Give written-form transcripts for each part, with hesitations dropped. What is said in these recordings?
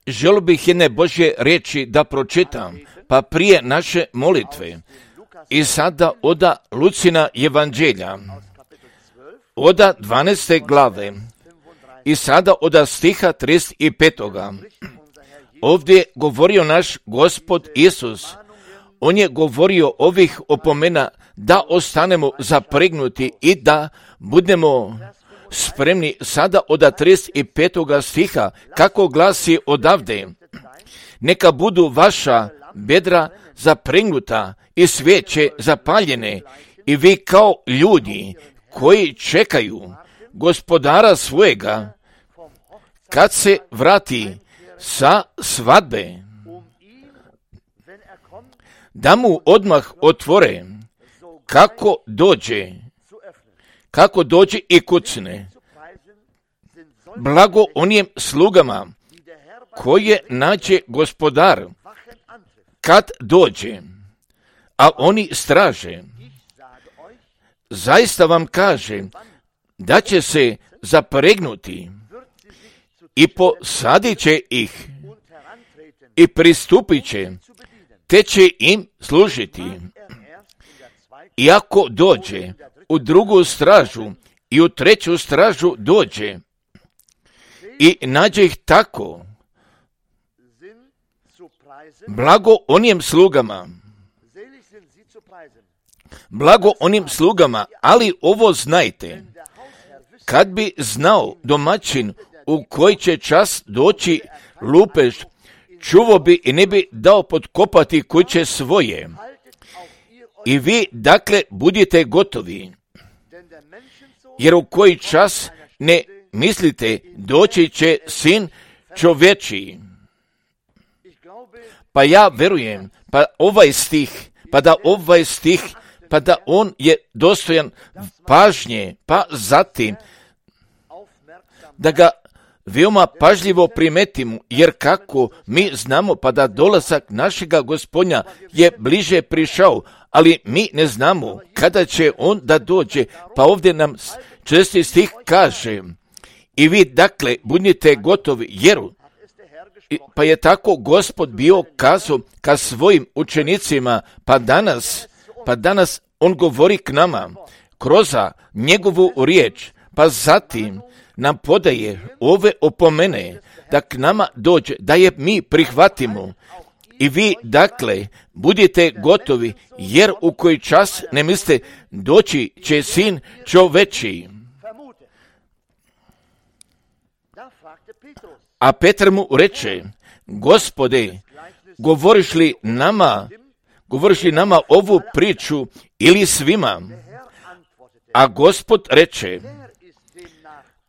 Želio bih jedne Božje riječi da pročitam, pa prije naše molitve. I sada oda Lucina evanđelja, oda 12. glave, i sada oda stiha 35. Ovdje govorio naš Gospod Isus. On je govorio ovih opomena da ostanemo zapregnuti i da budemo spremni. Sada od 35. stiha, kako glasi odavde: neka budu vaša bedra zapregnuta i svijeće zapaljene, i vi kao ljudi koji čekaju gospodara svojega kad se vrati sa svadbe, da mu odmah otvore kako dođe i kucne. Blago onim slugama koje nađe gospodar kad dođe, a oni straže. Zaista vam kaže da će se zapregnuti i posadit će ih i pristupit će, te će im služiti. I ako dođe u drugu stražu i u treću stražu dođe i nađe ih tako, blago onim slugama, ali ovo znajte, kad bi znao domaćin u koji će čas doći lupež, čuvao bi i ne bi dao potkopati kuće svoje. I vi, dakle, budite gotovi, jer u koji čas ne mislite doći će Sin čovječiji. Pa ja verujem, pa da on je dostojan pažnje, pa zatim da ga veoma pažljivo primetimo, jer kako mi znamo pa da dolazak našega Gospodnja je bliže prišao, ali mi ne znamo kada će on da dođe. Pa ovdje nam 6. stih kaže: i vi dakle budite gotovi, jer pa je tako Gospod bio kazao ka svojim učenicima, pa danas on govori k nama kroz njegovu riječ, pa zatim nam podaje ove opomene da k nama dođe, da je mi prihvatimo. I vi, dakle, budite gotovi, jer u koji čas ne mislite doći će Sin čovječiji. A Petar mu reče: Gospode, govoriš li nama ovu priču ili svima? A Gospod reče: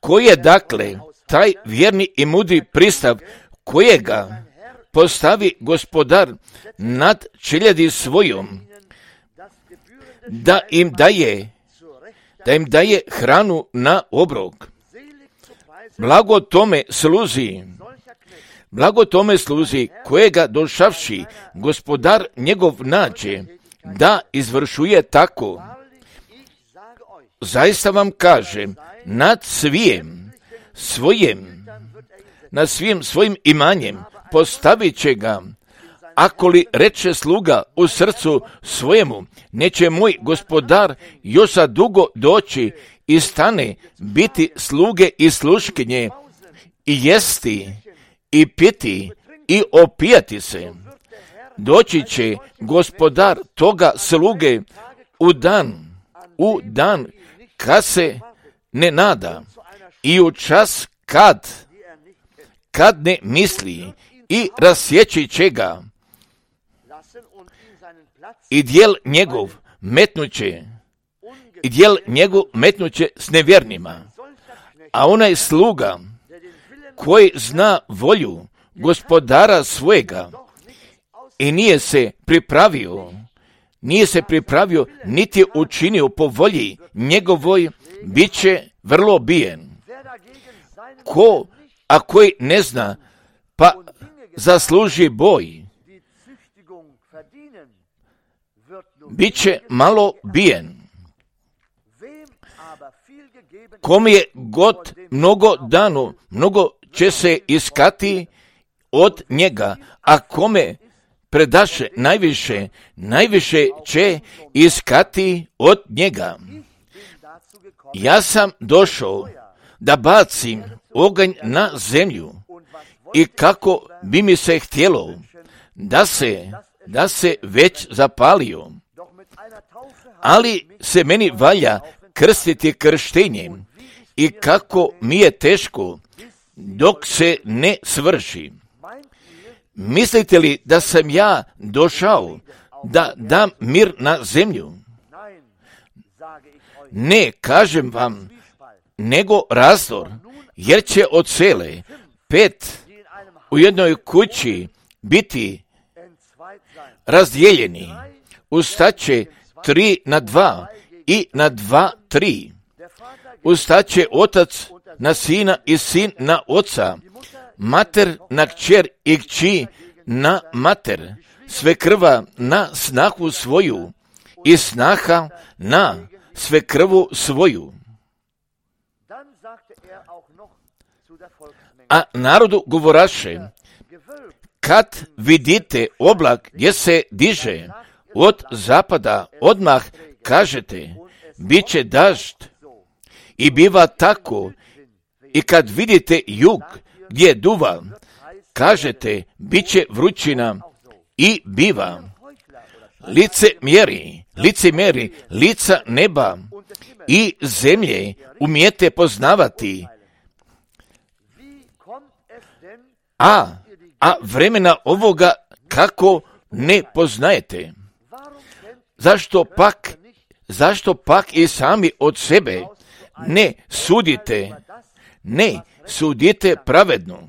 ko je dakle taj vjerni i mudri pristav, kojega postavi gospodar nad čeljadi svojom, da im daje hranu na obrok? Blago tome sluzi kojega došavši gospodar njegov nađe da izvršuje tako. Zaista vam kažem, nad svim imanjem postavit će ga. Ako li reče sluga u srcu svojemu, neće moj gospodar još za dugo doći i stane biti sluge i sluškinje, i jesti i piti i opijati se. Doći će gospodar toga sluge u dan kad se ne nada, i u čas kad ne misli, i rasjeći će ga, i djel njegov metnuće s nevjernima. A onaj sluga koji zna volju gospodara svojega i nije se pripravio niti učinio po volji njegovoj, bit će vrlo bijen. A koji ne zna, pa zasluži boj, bit će malo bijen. Kom je god mnogo dano, mnogo će se iskati od njega, a kome predaše najviše će iskati od njega. Ja sam došao da bacim oganj na zemlju i kako bi mi se htjelo da se već zapalio, ali se meni valja krstiti krštenjem i kako mi je teško dok se ne svrši. Mislite li da sam ja došao da dam mir na zemlju? Ne, kažem vam, nego razdor, jer će od cele 5 u jednoj kući biti razdijeljeni. Ustaće 3 na 2 i na 2 3. Ustaće otac na sina i sin na oca, mater na kćer i kći na mater, svekrva na snahu svoju i snaha na svekrvu svoju. A narodu govoraše, kad vidite oblak gdje se diže od zapada, odmah kažete, bit će dažd. I biva tako, i kad vidite jug gdje duva, kažete, bit će vrućina i biva. Licemjeri, lica neba i zemlje umijete poznavati, a vremena ovoga kako ne poznajete. Zašto pak i sami od sebe ne sudite pravedno?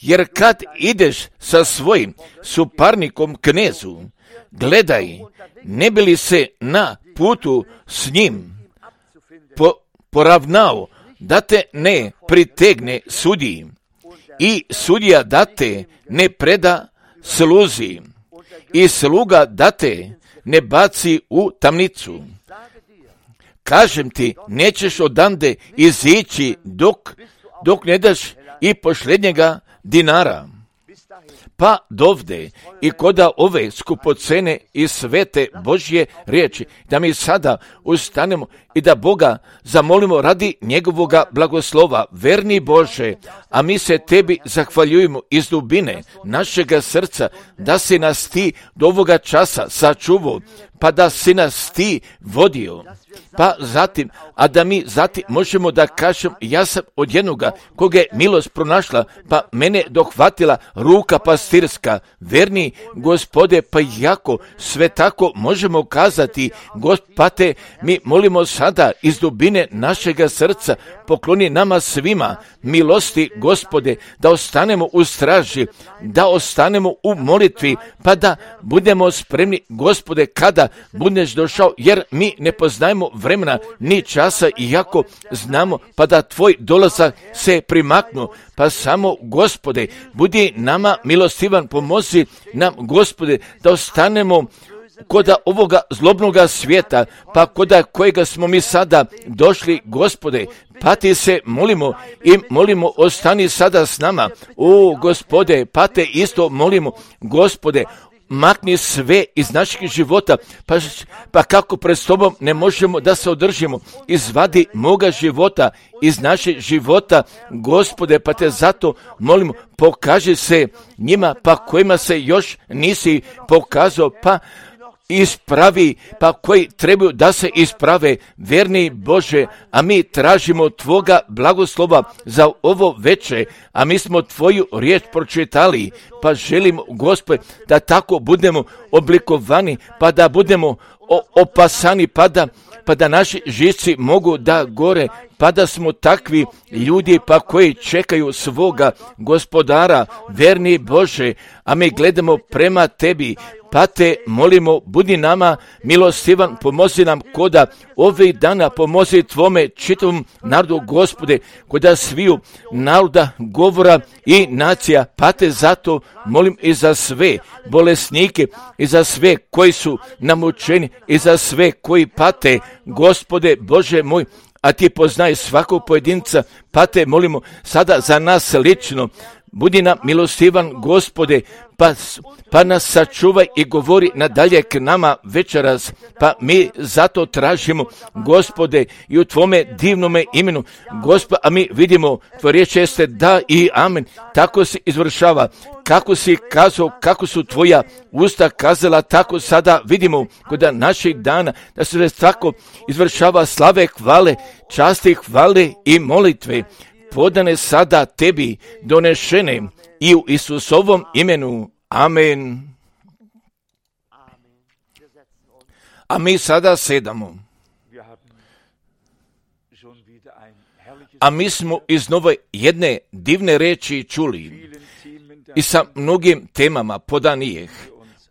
Jer kad ideš sa svojim suparnikom knezu, gledaj, ne bi li se na putu s njim poravnao, da te ne pritegne sudiji i sudija da te ne preda sluzi i sluga da te ne baci u tamnicu. Kažem ti, nećeš odande izići dok ne daš i posljednjega dinara. Pa dovde i koda ove skupocene i svete Božje riječi, da mi sada ustanemo i da Boga zamolimo radi njegovoga blagoslova. Verni Bože, a mi se tebi zahvaljujemo iz dubine našega srca, da si nas ti do ovoga časa sačuvao, pa da si nas ti vodio. Pa zatim, a da mi zatim možemo da kažem, ja sam od jednoga koga je milost pronašla, pa mene dohvatila ruka pastirska. Verni Gospode, pa jako sve tako možemo kazati, Gospode, mi molimo sada iz dubine našega srca, pokloni nama svima milosti, Gospode, da ostanemo u straži, da ostanemo u molitvi, pa da budemo spremni, Gospode, kada budeš došao, jer mi ne poznajemo vremena ni časa, iako znamo, pa da tvoj dolazak se primaknu, pa samo, Gospode, budi nama milostivan, pomozi nam, Gospode, da ostanemo koda ovoga zlobnoga svijeta, pa koda kojega smo mi sada došli, Gospode, pa ti se molimo, ostani sada s nama. O, Gospode, pa te isto molimo, Gospode, makni sve iz naših života, pa kako pred tobom ne možemo da se održimo, izvadi moga života iz našeg života, Gospode, pa te zato molimo, pokaži se njima, pa kojima se još nisi pokazao, pa ispravi, pa koji trebaju da se isprave, verni Bože, a mi tražimo tvoga blagoslova za ovo večer, a mi smo tvoju riječ pročitali, pa želimo, Gospode, da tako budemo oblikovani, pa da budemo opasani, pa da naši živci mogu da gore, pa da smo takvi ljudi pa koji čekaju svoga Gospodara, verni Bože, a mi gledamo prema tebi, pa te molimo, budi nama milostivan, pomozi nam koda ovih dana, pomozi tvome čitavom narodu, Gospode, koda sviju naroda, govora i nacija, pa te zato molim i za sve bolesnike, i za sve koji su namučeni, i za sve koji pate, Gospode Bože moj, a ti poznaj svakog pojedinca, pa te molimo sada za nas lično, budi nam milostivan, Gospode, pa nas sačuvaj i govori nadalje k nama večeras, pa mi zato tražimo, Gospode, i u Tvome divnome imenu, Gospod, a mi vidimo, Tvoja riječ jeste da i amen, tako se izvršava, kako si kazao, kako su Tvoja usta kazala, tako sada vidimo kod naših dana, da se tako izvršava slave, hvale, časti, hvale i molitve, podane sada Tebi, donešene i u Isusovom imenu. Amen. A mi sada sedamo. A mi smo iznova jedne divne reči čuli i sa mnogim temama podanijeh,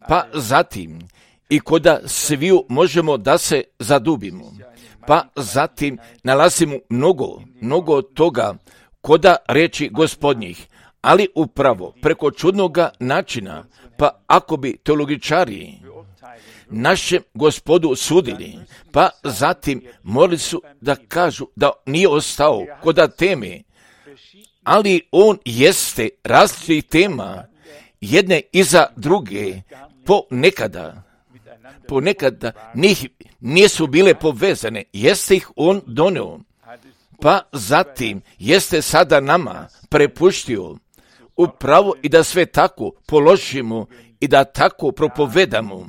pa zatim i koda sviju možemo da se zadubimo, pa zatim nalazimo mnogo toga koda reči Gospodnjih, ali upravo preko čudnoga načina, pa ako bi teologičari našem Gospodu sudili, pa zatim morali su da kažu da nije ostao koda teme, ali on jeste različitih tema, jedne iza druge, ponekada njih nisu bile povezane, jeste ih on doneo, pa zatim jeste sada nama prepuštio upravo i da sve tako položimo i da tako propovedamo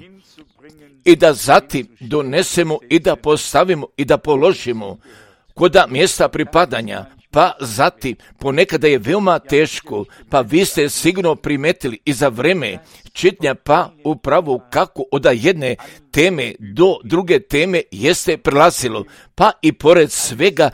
i da zatim donesemo i da postavimo i da položimo koda mjesta pripadanja, pa zatim ponekada je veoma teško, pa vi ste sigurno primetili i za vreme čitanja, pa upravo kako od jedne teme do druge teme jeste prelazilo, pa i pored svega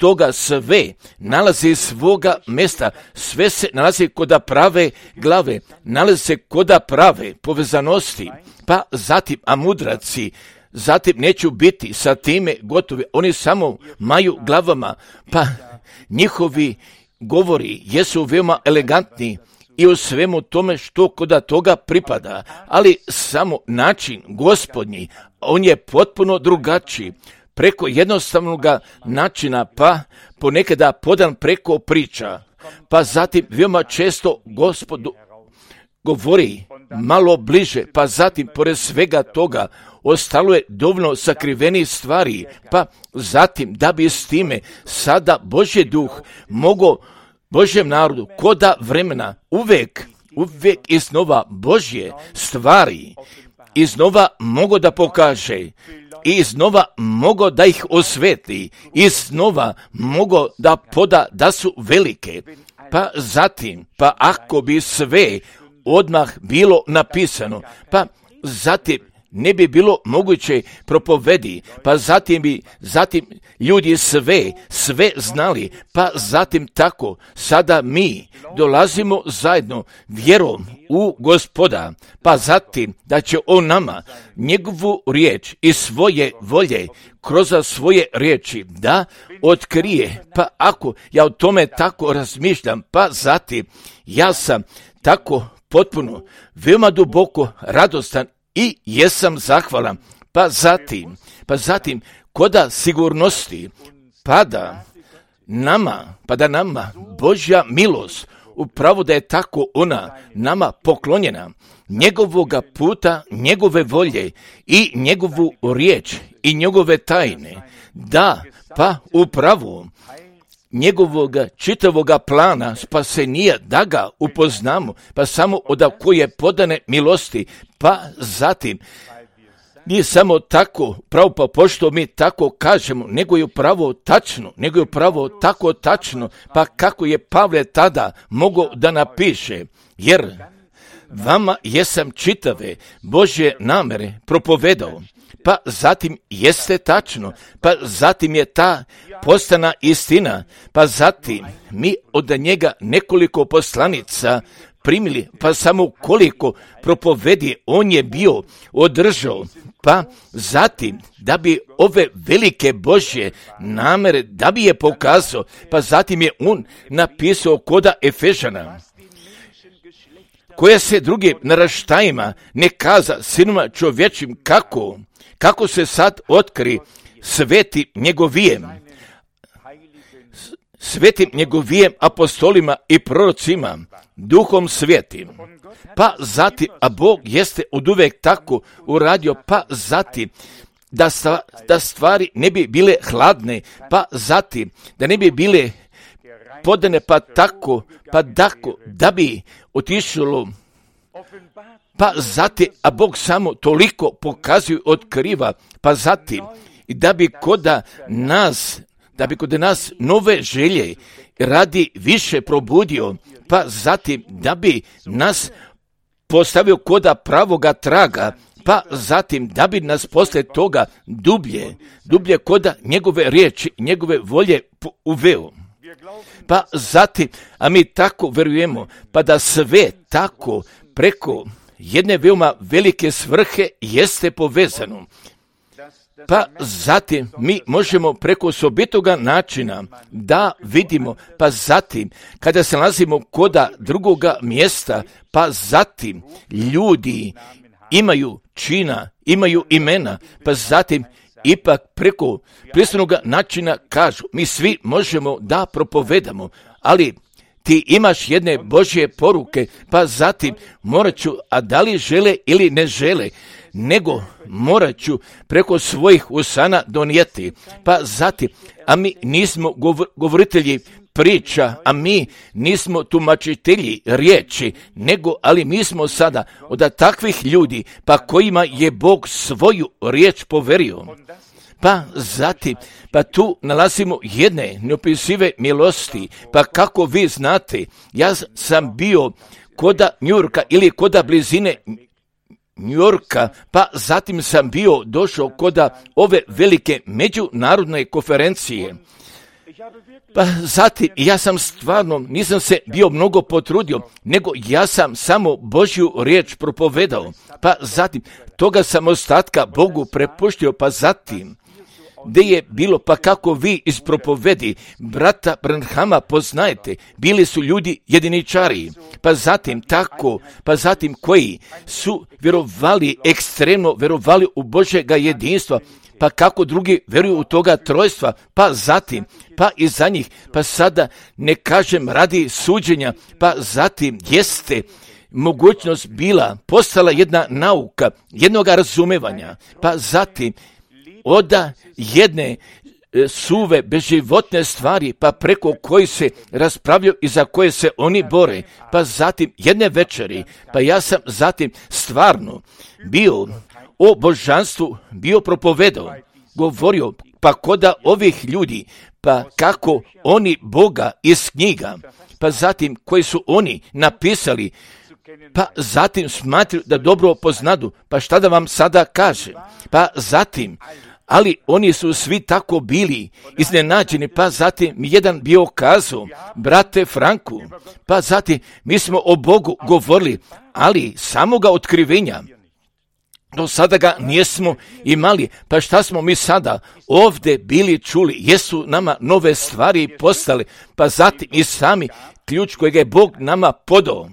toga sve nalazi svoga mjesta, sve se nalazi koda prave glave, nalazi se koda prave povezanosti, pa zatim, a mudraci, zatim neću biti sa time gotovi, oni samo maju glavama, pa njihovi govori jesu veoma elegantni i u svemu tome što koda toga pripada, ali samo način Gospodnji, on je potpuno drugačiji, preko jednostavnog načina, pa ponekada podan preko priča, pa zatim veoma često Gospodu govori malo bliže, pa zatim pored svega toga ostalo je dovoljno sakrivenih stvari, pa zatim da bi s time sada Božji duh mogao Božjem narodu koda vremena uvek iznova Božje stvari iznova mogo da pokaže i iznova mogo da ih osvetli, iznova mogo da poda da su velike, pa zatim, pa ako bi sve odmah bilo napisano, pa zatim ne bi bilo moguće propovedi, pa zatim ljudi sve znali, pa zatim tako, sada mi dolazimo zajedno vjerom u Gospoda, pa zatim da će on nama njegovu riječ i svoje volje kroz svoje riječi da otkrije, pa ako ja o tome tako razmišljam, pa zatim ja sam tako potpuno, veoma duboko radostan i jesam zahvalan, pa zatim koda sigurnosti pada nama Božja milost, upravo da je tako ona nama poklonjena, njegovoga puta, njegove volje i njegovu riječ i njegove tajne, da, pa upravo njegovoga čitavoga plana spasenija da ga upoznamo, pa samo od koje podane milosti, pa zatim nije samo tako, pravo pa pošto mi tako kažemo, nego je upravo tako tačno, pa kako je Pavle tada mogao da napiše, jer vama jesam čitave Božje namere propovedao, pa zatim jeste tačno, pa zatim je ta postana istina, pa zatim mi od njega nekoliko poslanica primili, pa samo koliko propovedi on je bio održao, pa zatim da bi ove velike Božje namere, da bi je pokazao, pa zatim je on napisao koda Efežana, koja se drugim naraštajima ne kaza sinima čovječim kako se sad otkri sveti njegovijem, svetim njegovijem apostolima i prorocima, duhom svetim. Pa zatim, a Bog jeste oduvek tako uradio, pa zatim, da stvari ne bi bile hladne, pa zatim, da ne bi bile podane, pa tako, da bi otišlo, pa zatim, a Bog samo toliko pokazuje, otkriva, pa zatim, i da bi kod nas nove želje radi više probudio, pa zatim, da bi nas postavio koda pravoga traga, pa zatim, da bi nas poslije toga dublje koda njegove riječi, njegove volje uveo. Pa zatim, a mi tako vjerujemo, pa da sve tako preko jedne veoma velike svrhe jeste povezano. Pa zatim mi možemo preko osobitoga načina da vidimo, pa zatim kada se nalazimo koda drugoga mjesta, pa zatim ljudi imaju čina, imaju imena, pa zatim ipak preko pristojnoga načina kažu, mi svi možemo da propovedamo, ali ti imaš jedne Božje poruke, pa zatim morat ću, a da li žele ili ne žele, nego morat ću preko svojih usana donijeti. Pa zatim, a mi nismo govoritelji priča, a mi nismo tumačitelji riječi, ali mi smo sada od takvih ljudi, pa kojima je Bog svoju riječ poverio. Pa zatim, pa tu nalazimo jedne neopisive milosti, pa kako vi znate, ja sam bio koda Njurka ili koda blizine Njorka, pa zatim sam bio došao koda ove velike međunarodne konferencije. Pa zatim, ja sam stvarno, nisam se bio mnogo potrudio, nego ja sam samo Božju riječ propovedao. Pa zatim, toga sam ostatka Bogu prepuštio, pa zatim, gdje je bilo, pa kako vi iz propovedi brata Branhama poznajete, bili su ljudi jediničari, pa zatim tako, pa zatim koji su vjerovali, ekstremno vjerovali u Božjega jedinstva, pa kako drugi vjeruju u toga trojstva, pa zatim, pa i za njih, pa sada ne kažem radi suđenja, pa zatim jeste mogućnost bila, postala jedna nauka, jednoga razumevanja, pa zatim od jedne suve, bezživotne stvari, pa preko koji se raspravljaju i za koje se oni bore, pa zatim jedne večeri, pa ja sam zatim stvarno bio o božanstvu, bio propovedao, govorio, pa koda ovih ljudi, pa kako oni Boga iz knjiga, pa zatim koji su oni napisali, pa zatim smatruju da dobro poznadu, pa šta da vam sada kažem, pa zatim, ali oni su svi tako bili iznenađeni, pa zatim mi jedan bio kazao, brate Franku, pa zatim mi smo o Bogu govorili, ali samoga otkrivenja do sada ga nismo imali, pa šta smo mi sada ovdje bili čuli, jesu nama nove stvari postale, pa zatim i sami ključ kojeg je Bog nama podao.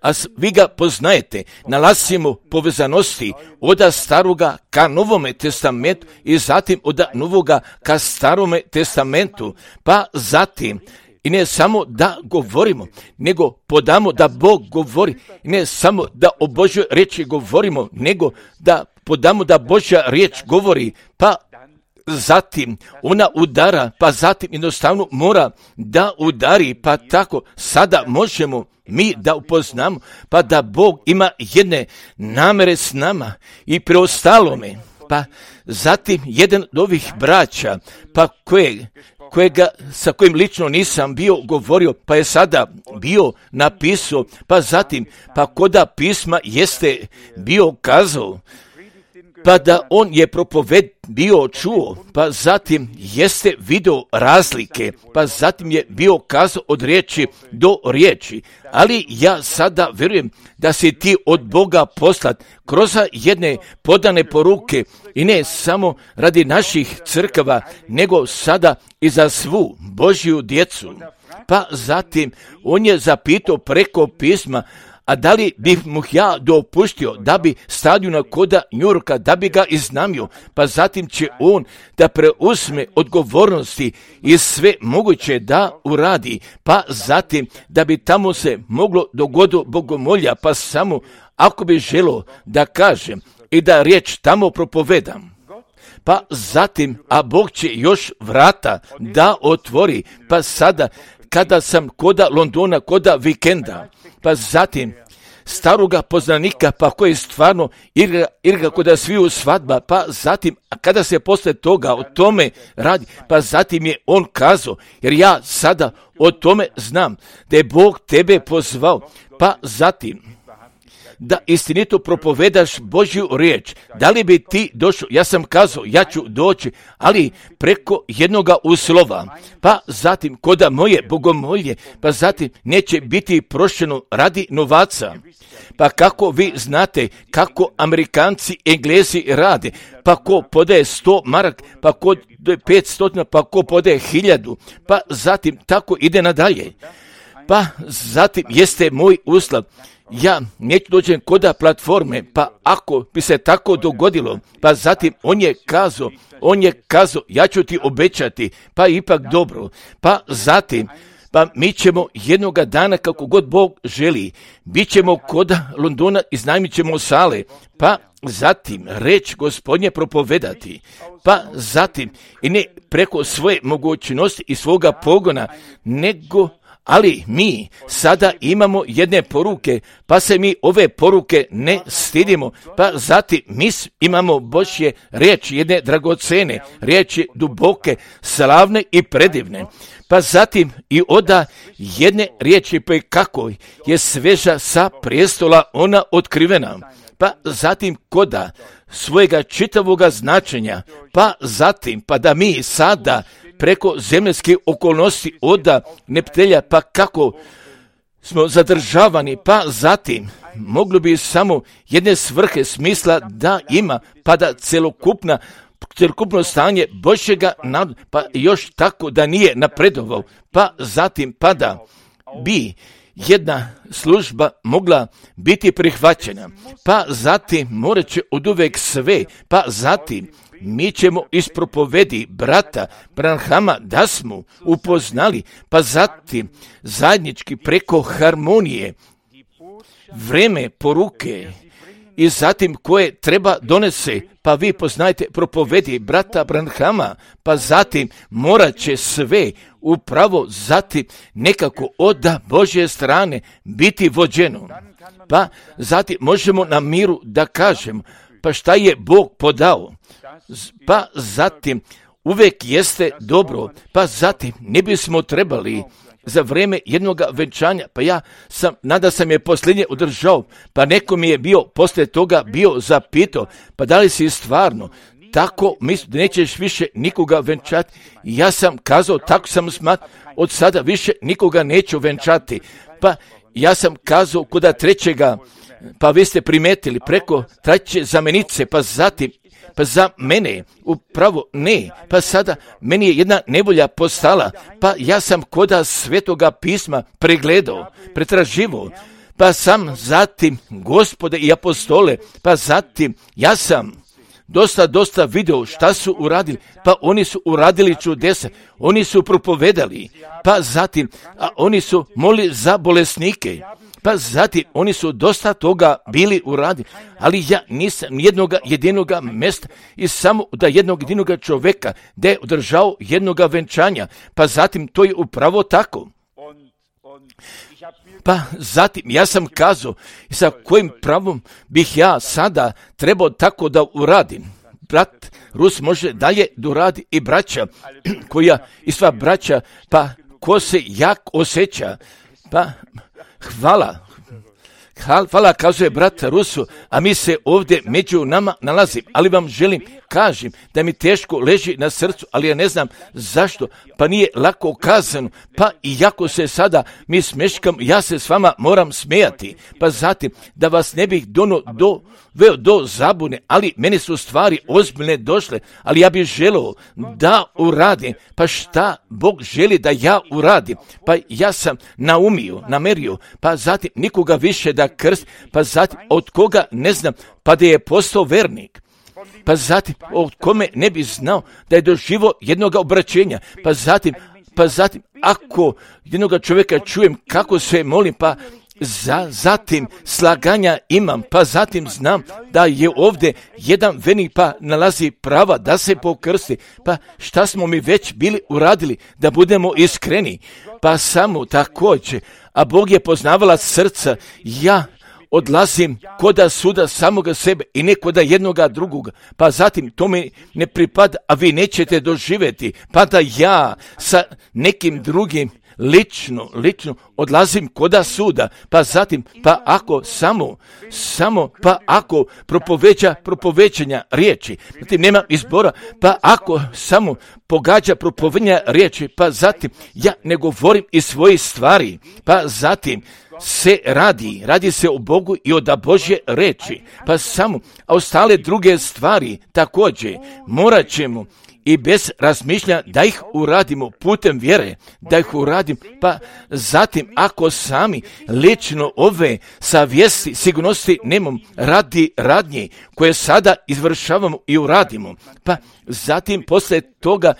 A vi ga poznajete, nalazimo povezanosti od staroga ka Novome testamentu i zatim od Novoga ka Starome testamentu, pa zatim i ne samo da govorimo, nego podamo da Bog govori, ne samo da o Božjoj riječi govorimo, nego da podamo da Božja riječ govori, pa zatim ona udara, pa zatim jednostavno mora da udari, pa tako sada možemo mi da upoznamo, pa da Bog ima jedne namere s nama i preostalome. Pa zatim jedan od ovih braća, pa sa kojim lično nisam bio govorio, pa je sada bio napisao, pa zatim, pa koda pisma jeste bio kazao, pa da on je propoved bio čuo, pa zatim jeste video razlike, pa zatim je bio kazao od riječi do riječi, ali ja sada vjerujem da si ti od Boga poslat kroz jedne podane poruke i ne samo radi naših crkava, nego sada i za svu Božju djecu. Pa zatim on je zapitao preko pisma, a da li bih mu ja dopustio da bi stavio na koda Njurka, da bi ga iznamio, pa zatim će on da preuzme odgovornosti i sve moguće da uradi, pa zatim da bi tamo se moglo dogoditi bogomolja, pa samo ako bi želo da kažem i da riječ tamo propovedam. Pa zatim, a Bog će još vrata da otvori, pa sada kada sam koda Londona, koda vikenda, pa zatim staroga poznanika, pa koji stvarno igra koda sviju svadba, pa zatim, a kada se posle toga o tome radi, pa zatim je on kazao, jer ja sada o tome znam, da je Bog tebe pozvao, pa zatim da istinito propovedaš Božju riječ. Da li bi ti došao? Ja sam kazao, ja ću doći, ali preko jednoga uslova. Pa zatim, koda moje bogomolje, pa zatim neće biti prošeno radi novaca. Pa kako vi znate kako Amerikanci, Englezi rade? Pa ko podaje 100 mark, pa ko 500, pa ko podaje 1000, pa zatim tako ide nadalje. Pa zatim jeste moj uslov. Ja neću dođem koda platforme, pa ako bi se tako dogodilo, pa zatim on je kazao, ja ću ti obećati, pa ipak dobro, pa zatim, pa mi ćemo jednoga dana kako god Bog želi, bit ćemo koda Londona, iznajmit ćemo sale, pa zatim reč Gospodnje propovedati, pa zatim i ne preko svoje mogućnosti i svoga pogona, nego ali mi sada imamo jedne poruke, pa se mi ove poruke ne stidimo, pa zatim mi imamo Božje riječi, jedne dragocene, riječi duboke, slavne i predivne. Pa zatim i oda jedne riječi, pa kako je sveža sa prijestola ona otkrivena. Pa zatim koda svojega čitavoga značenja, pa zatim pa da mi sada preko zemljske okolnosti oda neptelja, pa kako smo zadržavani, pa zatim moglo bi samo jedne svrhe smisla da ima, pa da celokupno stanje Božjega naroda, pa još tako da nije napredovao, pa zatim pa da bi jedna služba mogla biti prihvaćena, pa zatim morat će oduvek sve, pa zatim mi ćemo iz propovedi brata Branhama da smo upoznali, pa zatim zajednički preko harmonije, vreme poruke i zatim koje treba donese, pa vi poznajte propovedi brata Branhama, pa zatim morat će sve upravo zatim nekako od Božje strane biti vođeno. Pa zatim možemo na miru da kažemo, pa šta je Bog podao, pa zatim uvek jeste dobro, pa zatim ne bismo trebali za vrijeme jednog venčanja, pa nada sam je posljednje održao, pa neko mi je poslije toga bio zapitao, pa da li si stvarno tako misli da nećeš više nikoga venčati? Ja sam kazao, tako sam smatrao, od sada više nikoga neću venčati, pa ja sam kazao koda trećega, pa vi ste primetili preko treće zamenice, pa zatim pa za mene upravo ne, pa sada meni je jedna nevolja postala, pa ja sam koda Svetoga pisma pregledao, pretraživao, pa sam zatim Gospode i apostole, pa zatim ja sam dosta video šta su uradili, pa oni su uradili čudesa, oni su propovedali, pa zatim oni su molili za bolesnike, pa zatim oni su dosta toga bili uradili, ali ja nisam jedinoga mjesta i samo da jednog jedinoga čovjeka da je održao jednoga venčanja, pa zatim to je upravo tako. Pa zatim ja sam kazao sa kojim pravom bih ja sada trebao tako da uradim. Brat Rus može dalje da uradi i braća koja i sva braća, pa ko se jak osjeća, pa hvala kazuje brat Rusu, a mi se ovdje među nama nalazim, ali vam kažem da mi teško leži na srcu, ali ja ne znam zašto, pa nije lako kazano, pa i jako se sada mi smeškam, ja se s vama moram smijati, pa zatim da vas ne bih doveo do zabune, ali meni su stvari ozbiljne došle, ali ja bih želeo da uradim, pa šta Bog želi da ja uradim, pa ja sam namerio, pa zatim nikoga više da krst, pa zatim od koga ne znam, pa da je postao vernik. Pa zatim od kome ne bi znao da je doživio jednog obraćenja. Pa zatim ako jednoga čovjeka čujem kako se molim, pa zatim slaganja imam, pa zatim znam da je ovdje jedan vernik pa nalazi prava da se pokrsti. Pa šta smo mi već bili uradili, da budemo iskreni? Pa samo također, a Bog je poznavala srca, ja odlazim koda suda samoga sebe i ne koda jednoga drugoga, pa zatim to mi ne pripada, a vi nećete doživjeti, pa da ja sa nekim drugim lično odlazim koda suda, pa zatim, pa ako pa ako propoveđanja riječi, zatim nema izbora, pa ako samo pogađa propoveđanja riječi, pa zatim ja ne govorim iz svojih stvari, pa zatim se radi se o Bogu i o da Božje reči, pa samo, a ostale druge stvari također morat ćemo i bez razmišljanja da ih uradimo putem vjere, da ih uradim, pa zatim ako sami lično ove savjesti, sigurnosti nemam radi radnje koje sada izvršavamo i uradimo, pa zatim poslije toga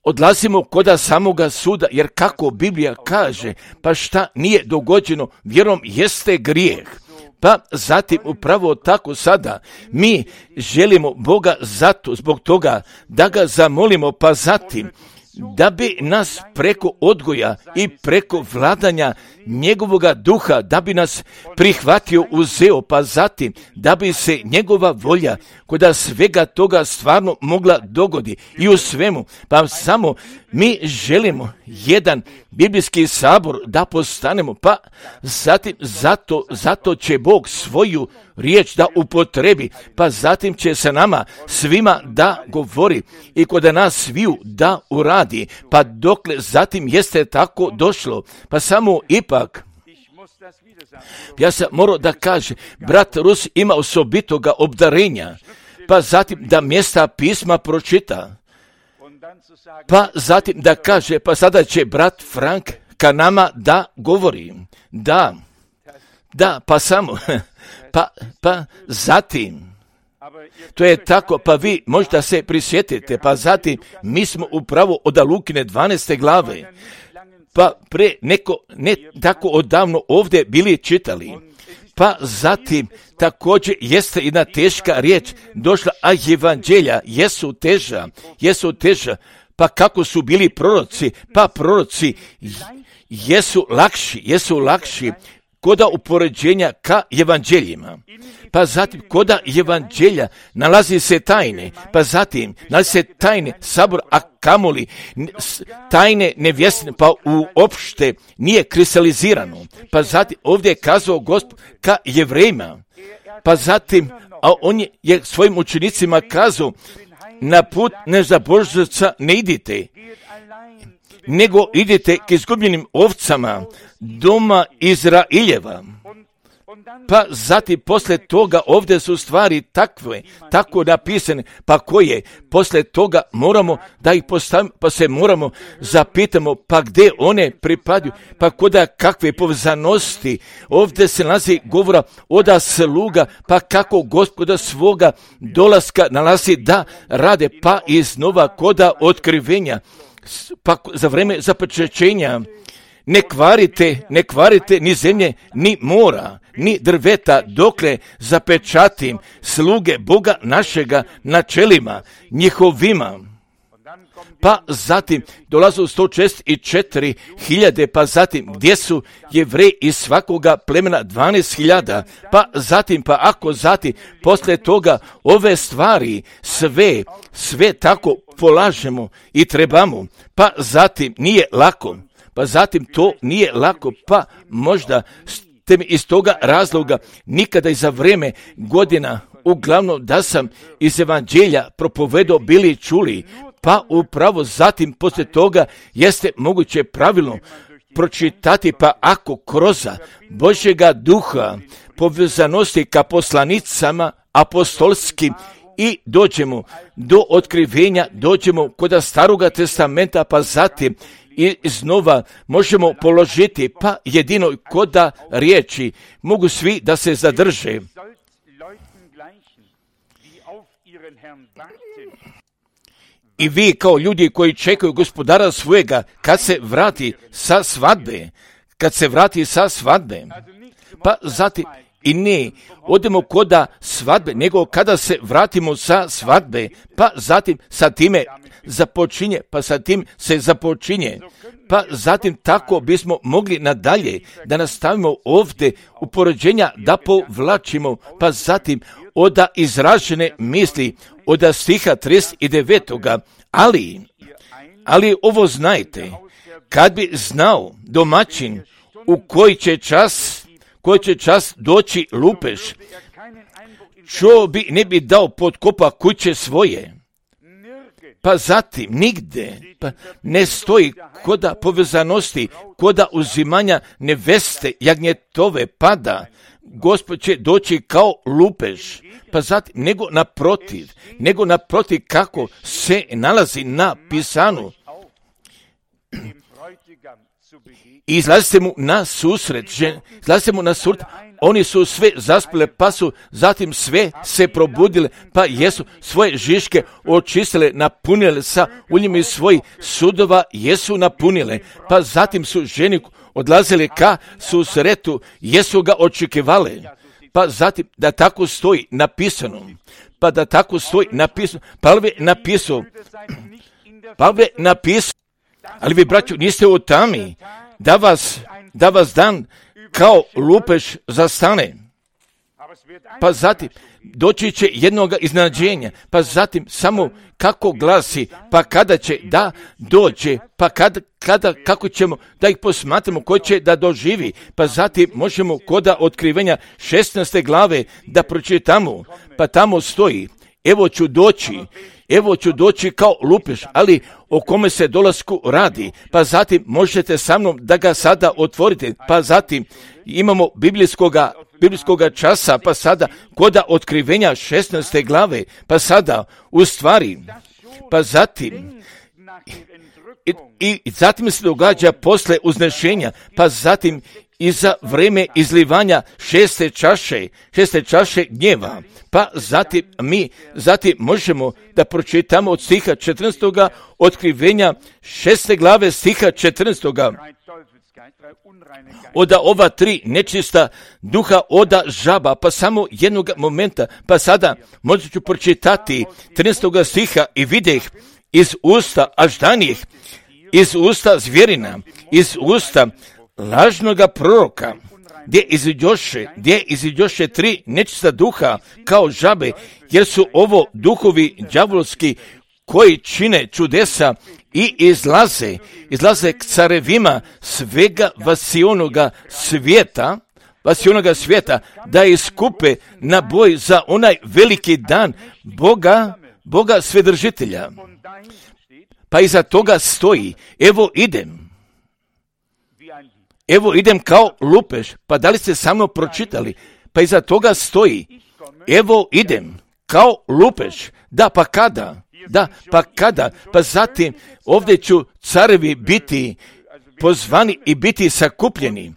odlazimo koda samoga suda, jer kako Biblija kaže, pa šta nije dogođeno vjerom jeste grijeh. Pa zatim upravo tako sada mi želimo Boga zbog toga da ga zamolimo, pa zatim da bi nas preko odgoja i preko vladanja njegovoga duha, da bi nas prihvatio, uzeo, pa zatim da bi se njegova volja koda svega toga stvarno mogla dogodi i u svemu, pa samo mi želimo jedan biblijski sabor da postanemo, pa zatim zato će Bog svoju riječ da upotrebi, pa zatim će se nama svima da govori i kod nas sviju da uradi, pa dokle zatim jeste tako došlo, pa samo ipak ja sam morao da kaže, brat Rus ima osobitoga obdarenja, pa zatim da mjesta pisma pročita, pa zatim da kaže, pa sada će brat Frank ka nama da govori, da, pa samo, pa zatim, to je tako, pa vi možda se prisjetite, pa zatim mi smo upravo od Lukine 12. glave, pa ne tako odavno ovdje bili čitali, pa zatim također jeste jedna teška riječ došla, a evanđelja jesu teža, pa kako su bili proroci, pa proroci jesu lakši koda upoređenja ka evanđeljima. Pa zatim koda evanđelja nalazi se tajne, pa zatim nalazi se tajne sabor, a kamoli tajne nevjesne, pa uopšte nije kristalizirano. Pa zatim ovdje je kazao Gospod ka Jevrejima, pa zatim, a on je svojim učenicima kazao, na put nezabožca ne idite, nego idite k izgubljenim ovcama doma Izraeljeva. Pa zatim poslije toga ovdje su stvari tako napisane, pa koje poslije toga moramo da ih postavimo, pa se moramo zapitamo, pa gdje one pripadaju, pa koda kakve povezanosti, ovdje se nalazi govora oda sluga, pa kako Gospoda svoga dolaska nalazi da rade, pa iznova koda otkrivenja, pa za vreme zapečećenja, ne kvarite ni zemlje, ni mora, ni drveta, dokle zapečatim sluge Boga našega na čelima njihovima. Pa zatim dolazu 164.000, pa zatim gdje su Jevreji iz svakoga plemena 12.000, pa zatim, poslije toga ove stvari sve tako polažemo i trebamo, pa zatim nije lako. Pa zatim to nije lako, pa možda ste mi iz toga razloga nikada i za vrijeme godina, uglavnom da sam iz evanđelja propovedao bili čuli, pa upravo zatim poslije toga jeste moguće pravilno pročitati, pa ako kroz Božjega duha povezanosti ka poslanicama apostolskim i dođemo do otkrivenja, dođemo kod Staroga testamenta, pa zatim i iznova možemo položiti, pa jedino koda riječi mogu svi da se zadrže. I vi kao ljudi koji čekaju gospodara svojega kad se vrati sa svadbe, pa zatim i ne odemo koda svadbe, nego kada se vratimo sa svadbe, pa zatim sa time započinje, pa sa tim se započinje, pa zatim tako bismo mogli nadalje da nastavimo ovdje upoređenja da povlačimo, pa zatim oda izražene misli od stiha 39. Ali ovo znajte, kad bi znao domaćin u koji će čas doći lupež, čo bi ne bi dao potkopa kuće svoje. Pa zatim nigde ne stoji koda povezanosti, koda uzimanja neveste jagnjetove pada, Gospod će doći kao lupež, pa zatim nego naprotiv kako se nalazi na pisanu. I izlazite mu na susret, oni su sve zaspile, pa su zatim sve se probudile, pa jesu svoje žiške očistile, napunile sa uljem iz svojih sudova, jesu napunile, pa zatim su ženi odlazili ka susretu, jesu ga očekivale, pa zatim da tako stoji napisano, Pavle napisao, ali vi, braćo, niste u tami, da vas dan kao lupež zastane. Pa zatim doći će jednoga iznenađenja, pa zatim samo kako glasi, pa kada će da dođe, pa kako ćemo da ih posmatramo, ko će da doživi, pa zatim možemo koda otkrivenja 16. glave da pročitamo, pa tamo stoji, evo ću doći kao lupež, ali o kome se dolasku radi, pa zatim možete sa mnom da ga sada otvorite, pa zatim imamo biblijskoga časa, pa sada koda otkrivenja 16. glave, pa sada u stvari, pa zatim i zatim se događa posle uznešenja, pa zatim i za vreme izlivanja šeste čaše gnjeva, pa zatim možemo da pročitamo od stiha 14. otkrivenja 6. glave stiha 14. Oda ova 3 nečista duha oda žaba, pa samo jednog momenta, pa sada možda ću pročitati 13. stiha i videh iz usta aždanih, iz usta zvjerina, iz usta lažnoga proroka, gdje iziđoše 3 nečista duha kao žabe, jer su ovo duhovi đavolski koji čine čudesa i izlaze k carevima svega vasionoga svijeta, da iskupe na boj za onaj veliki dan Boga svedržitelja. Pa iza toga stoji, evo idem kao lupež, pa da li ste sa mnom pročitali? Pa iza toga stoji, evo idem kao lupež, da pa kada? Pa zatim ovdje ću carevi biti pozvani i biti sakupljeni,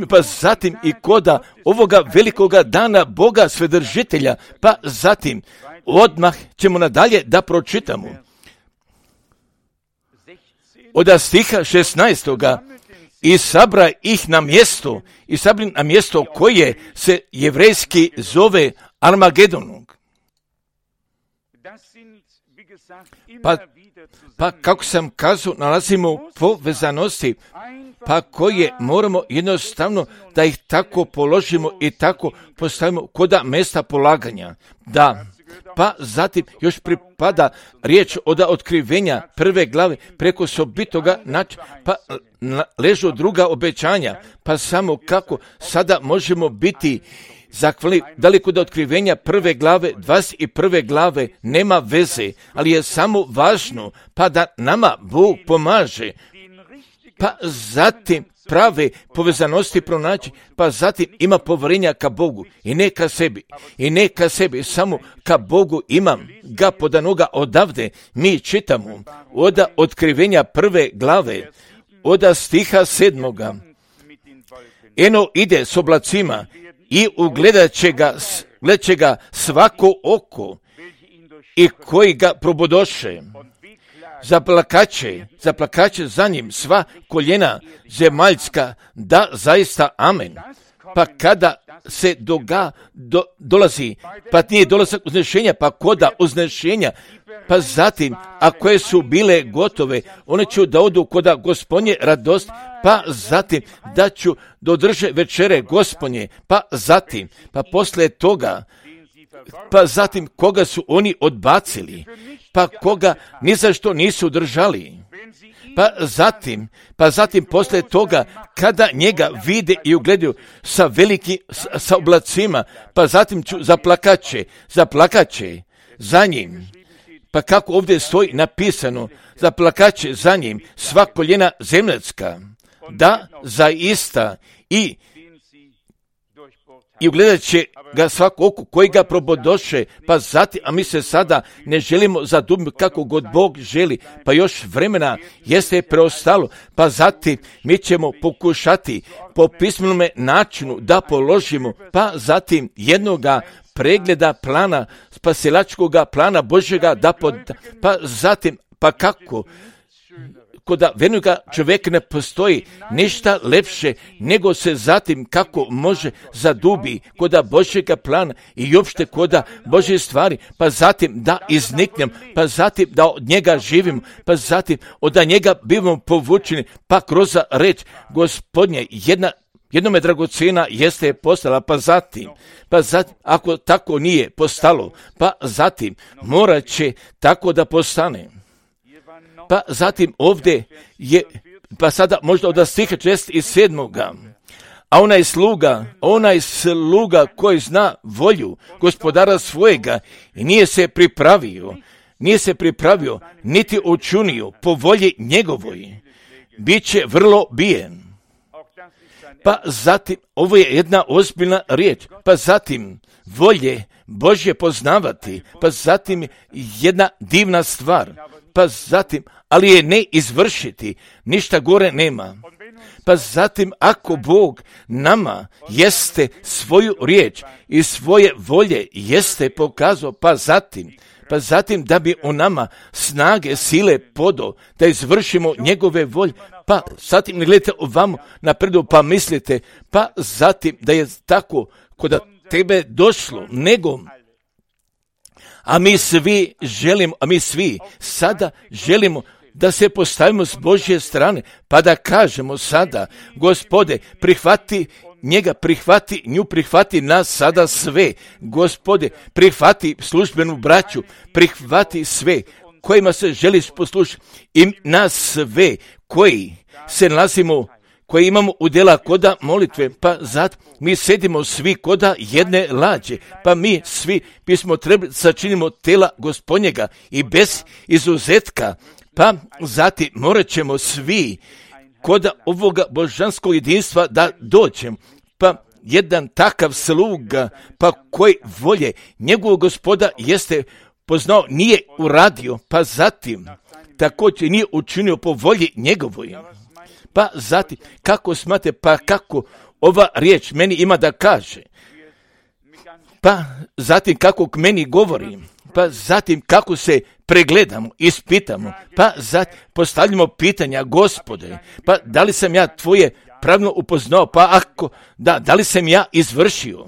pa zatim i koda ovoga velikoga dana Boga svedržitelja, pa zatim odmah ćemo nadalje da pročitamo. Od stiha 16. I sabra ih na mjesto koje se jevrejski zove Armagedonom. Pa kako sam kazao, nalazimo povezanosti, pa koje moramo jednostavno da ih tako položimo i tako postavimo koda mjesta polaganja. Da, pa zatim još pripada riječ od otkrivenja 1. glave preko sobitoga načina, pa ležu druga obećanja, pa samo kako sada možemo biti zahvali, daleko do otkrivenja 1. glave, 21. glave nema veze, ali je samo važno, pa da nama Bog pomaže, pa zatim prave povezanosti pronaći, pa zatim ima povjerenja ka Bogu i ne ka sebi, samo ka Bogu imam ga podanoga odavde. Mi čitamo od Otkrivenja 1. glave, od stiha 7. Eno ide s oblacima i ugledat će ga svako oko i koji ga probodoše. Zaplakaće za njim sva koljena zemaljska, da zaista amen. Pa kada se dolazi, pa nije dolazak uznešenja, pa koda uznešenja, pa zatim, a koje su bile gotove, one ću da odu koda Gospodnje radost, pa zatim da ću dodrže večere Gospodnje, pa zatim, pa posle toga, pa zatim koga su oni odbacili, pa koga ni za što nisu držali, pa zatim posle toga kada njega vide i ugledaju sa oblacima, pa zatim ću zaplakaće za njim. Pa kako ovdje stoji napisano, zaplakaće za njim sva koljena zemaljska, da zaista i ugledat će ga svako oko koji ga probodoše, pa zatim, a mi se sada ne želimo zadubiti kako god Bog želi, pa još vremena jeste preostalo, pa zatim mi ćemo pokušati po pismenome načinu da položimo, pa zatim jednoga pregleda plana, spasilačkoga plana Božjega, pa zatim, pa kako, koda vernoga čovjeka ne postoji ništa lepše nego se zatim kako može zadubi koda Božjega plana i uopšte koda Božje stvari, pa zatim da izniknem, pa zatim da od njega živimo, pa zatim od njega bivamo povučeni, pa kroz reč Gospodnje jednome dragocjena jeste postala, pa zatim, ako tako nije postalo, pa zatim morat će tako da postane. Pa zatim ovdje je, pa sada možda od stiha 67. A onaj sluga koji zna volju gospodara svojega i nije se pripravio, niti učinio po volji njegovoj, bit će vrlo bijen. Pa zatim, ovo je jedna ozbiljna riječ, pa zatim volje Božje poznavati, pa zatim jedna divna stvar, pa zatim, ali je ne izvršiti, ništa gore nema. Pa zatim, ako Bog nama jeste svoju riječ i svoje volje jeste pokazao, pa zatim da bi u nama snage, sile podao, da izvršimo njegove volje, pa zatim ne gledajte ovamo napredu, pa mislite, pa zatim da je tako kod tebe došlo, nego a mi svi sada želimo da se postavimo s Božje strane, pa da kažemo sada, Gospode, prihvati njega, prihvati nas sada sve. Gospode, prihvati službenu braću, prihvati sve kojima se želiš poslušati i nas sve koji se nalazimo, koji imamo udjela koda molitve, pa zato mi sedimo svi koda jedne lađe, pa mi svi bismo trebali sačinimo tela Gospodnjega i bez izuzetka, pa zatim morat ćemo svi koda ovoga božanskog jedinstva da dođemo, pa jedan takav sluga, pa koji volje njegovog Gospoda jeste poznao, nije uradio, pa zatim također nije učinio po volji njegovoj. Pa zatim, kako smate, pa kako ova riječ meni ima da kaže, pa zatim kako k meni govori, pa zatim kako se pregledamo, ispitamo, pa zatim postavljamo pitanja, Gospode, pa da li sam ja tvoje pravilno upoznao, pa ako da li sam ja izvršio,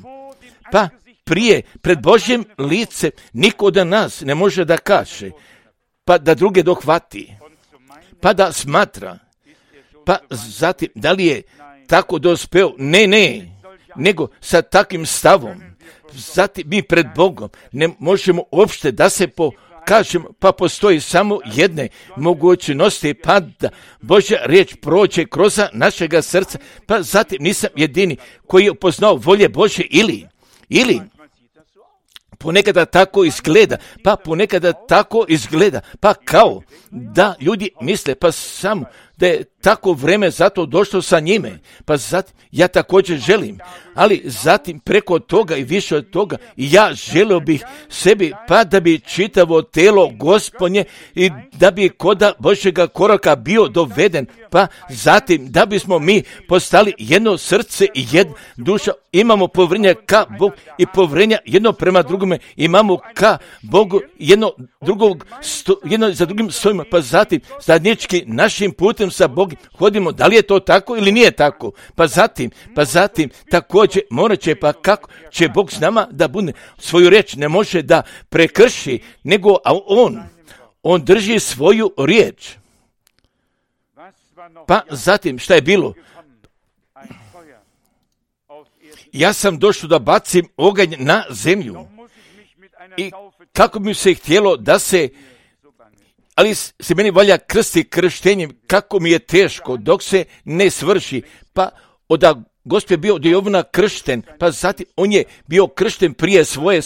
pa prije pred Božjim licem niko od nas ne može da kaže, pa da druge dohvati, pa da smatra, pa zatim da li je tako dospeo, ne, nego sa takvim stavom, zatim mi pred Bogom ne možemo uopšte da se pokažemo, pa postoji samo jedne mogućnosti, pa da Božja riječ prođe kroz našega srca, pa zatim nisam jedini koji je upoznao volje Božje ili ponekada tako izgleda, pa kao da ljudi misle, pa samo da je tako vreme zato došlo sa njime, pa zatim ja također želim, ali zatim preko toga i više od toga ja želio bih sebi, pa da bi čitavo telo Gospodnje i da bi koda Božjega koraka bio doveden, pa zatim da bismo mi postali jedno srce i jedna duša, imamo povjerenje ka Bogu i povjerenja jedno prema drugome, imamo ka Bogu jedno za drugim stojimo, pa zatim zajednički našim putem sa Bogom hodimo, da li je to tako ili nije tako, pa zatim također morat će, pa kako će Bog s nama da bude svoju riječ, ne može da prekrši, nego on drži svoju riječ. Pa zatim šta je bilo? Ja sam došao da bacim oganj na zemlju i kako bi se htjelo da se, ali se meni valja krsti krštenjem, kako mi je teško dok se ne svrši, pa od Gospod je bio od Jovana kršten, pa zatim on je bio kršten prije svoje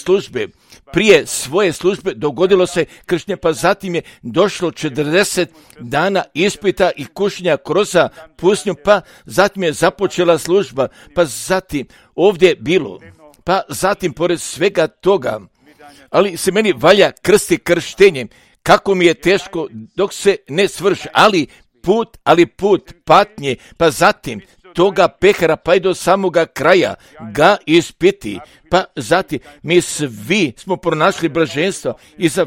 službe dogodilo se krštenje, pa zatim je došlo 40 dana ispita i kušnja kroz pustinju, pa zatim je započela služba, pa zatim ovdje je bilo, pa zatim pored svega toga, ali se meni valja krsti krštenjem, kako mi je teško dok se ne svrši, ali put patnje, pa zatim toga pehara pa i do samoga kraja ga ispiti, pa zatim mi svi smo pronašli blaženstvo i za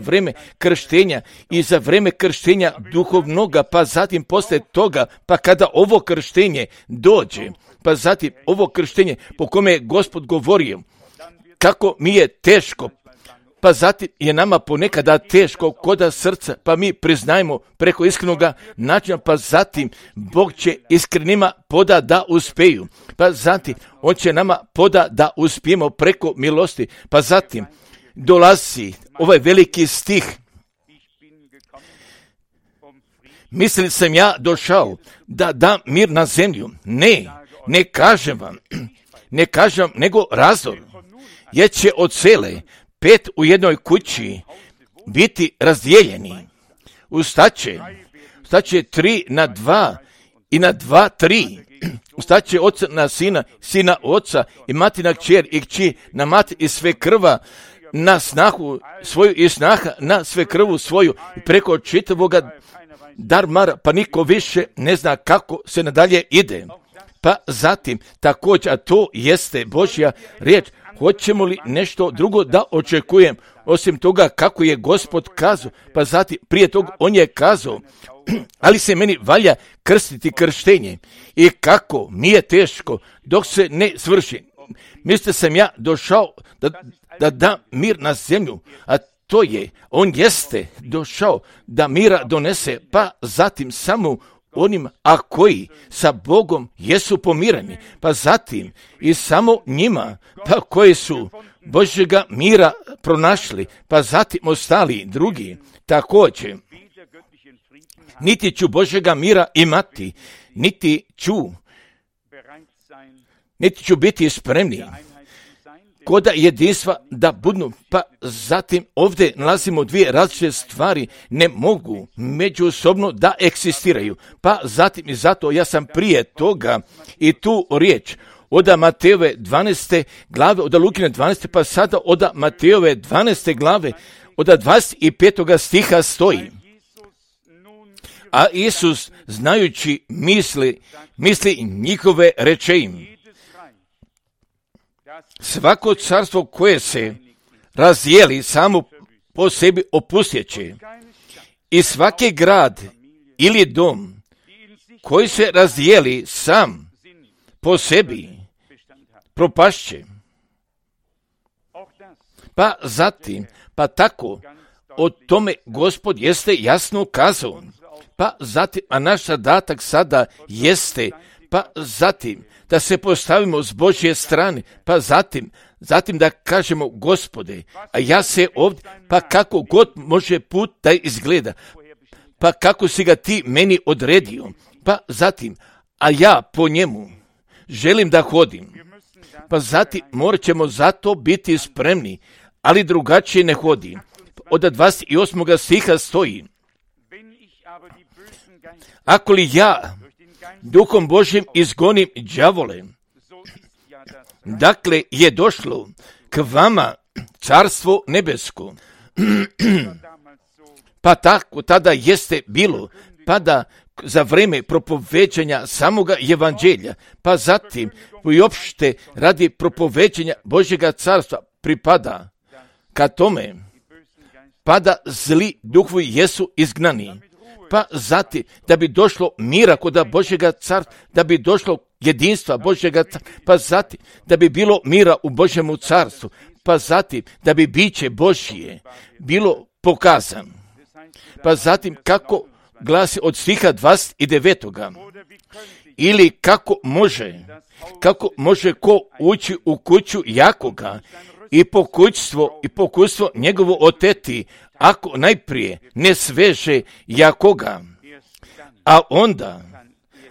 vrijeme krštenja duhovnoga, pa zatim posle toga, pa kada ovo krštenje dođe, pa zatim ovo krštenje po kome je Gospod govorio, kako mi je teško, pa zatim je nama ponekada teško koda srca, pa mi priznajemo preko iskrenoga načina, pa zatim Bog će iskrenima poda da uspeju, pa zatim on će nama poda da uspijemo preko milosti, pa zatim dolazi ovaj veliki stih. Mislili sam ja došao da dam mir na zemlju. Ne kažem vam, nego razdor, jer će od cele 5 u jednoj kući biti razdijeljeni. Ustaće 3 na 2 i na 2 3. Ustaće oca na sina oca i mati na kćer i kći na mati i sve krva na snahu svoju i snaha na sve krvu svoju i preko čitavoga darmara, pa niko više ne zna kako se nadalje ide. Pa zatim također, a to jeste Božja riječ, hoćemo li nešto drugo da očekujem, osim toga kako je Gospod kazao, pa zatim prije toga on je kazao, ali se meni valja krstiti krštenje i kako mi je teško dok se ne svrši. Mislite sam ja došao da dam mir na zemlju, a to je, on jeste došao da mira donese, pa zatim samo onima, a koji sa Bogom jesu pomireni, pa zatim i samo njima, pa koji su Božjega mira pronašli, pa zatim ostali drugi također. Niti ću Božjega mira imati, niti ću biti spremni koda jedinstva da budu, pa zatim ovdje nalazimo dvije različite stvari, ne mogu međusobno da eksistiraju, pa zatim i zato ja sam prije toga i tu riječ od Matejove 12. glave, od Lukine 12. pa sada od Matejove 12. glave, od 25. stiha stoji. A Isus, znajući misli njihove, reče im: svako carstvo koje se razdijeli samo po sebi opustjeće, i svaki grad ili dom koji se razdijeli sam po sebi propašće. Pa zatim, pa tako, o tome Gospod jeste jasno kazao. Pa zatim, a naš zadatak sada jeste, pa zatim, da se postavimo s Božje strane, pa zatim da kažemo: Gospode, a ja se ovdje, pa kako god može put da izgleda, pa kako si ga ti meni odredio, pa zatim, a ja po njemu želim da hodim, pa zatim morat ćemo zato biti spremni, ali drugačije ne hodi. Od 28. stiha stoji: ako li ja Duhom Božjim izgonim đavole, dakle je došlo k vama carstvo nebesko. Pa tako tada jeste bilo, pa da za vreme propoveđanja samoga evanđelja, pa zatim i opšte radi propoveđanja Božjega carstva pripada ka tome, pa da zli duhovi jesu izgnani, pa zatim da bi došlo mira kod Božjega carstva, da bi došlo jedinstva Božjega carstva, pa zatim da bi bilo mira u Božjemu carstvu, pa zatim da bi biće Božje bilo pokazano. Pa zatim kako glasi od stiha 29. Ili kako može ko ući u kuću Jakoga i pokućstvo njegovo oteti, ako najprije ne sveže Jakoga, a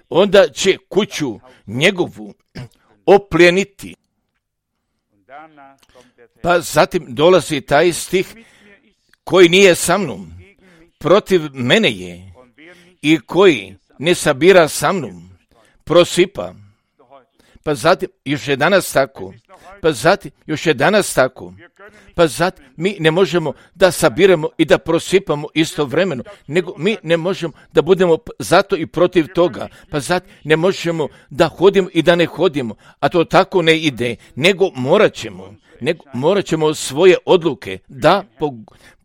onda će kuću njegovu opljeniti. Pa zatim dolazi taj stih, koji nije sa mnom, protiv mene je, i koji ne sabira sa mnom, prosipa. Pa zatim još je danas tako. Pa zatim mi ne možemo da sabiramo i da prosipamo istovremeno, nego mi ne možemo da budemo zato i protiv toga. Pa zatim ne možemo da hodimo i da ne hodimo, a to tako ne ide, nego morat ćemo svoje odluke da